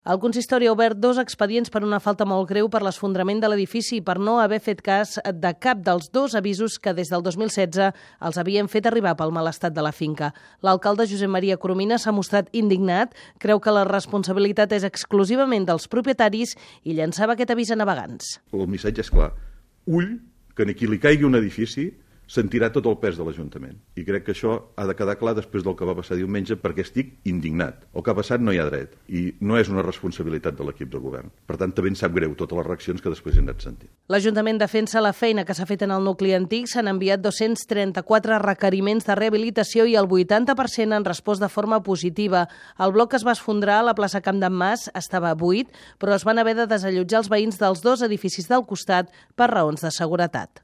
El consistori ha obert 2 expedients per una falta molt greu per l'esfondrament de l'edifici i per no haver fet cas de cap dels 2 avisos que des del 2016 els havien fet arribar pel mal estat de la finca. L'alcalde Josep Maria Coromina s'ha mostrat indignat, creu que la responsabilitat és exclusivament dels propietaris i llançava aquest avís a navegants. El missatge és clar. Ull, que ni qui li caigui un edifici sentirà tot el pes de l'Ajuntament. I crec que això ha de quedar clar després del que va passar diumenge, perquè estic indignat. El que ha passat no hi ha dret i no és una responsabilitat de l'equip de govern. Per tant, també em sap greu totes les reaccions que després he anat sentint. L'Ajuntament defensa la feina que s'ha fet en el nucli antic. S'han enviat 234 requeriments de rehabilitació i el 80% han respost de forma positiva. El bloc que es va esfondrar a la plaça Camp d'en Mas estava buit, però es van haver de desallotjar els veïns dels 2 edificis del costat per raons de seguretat.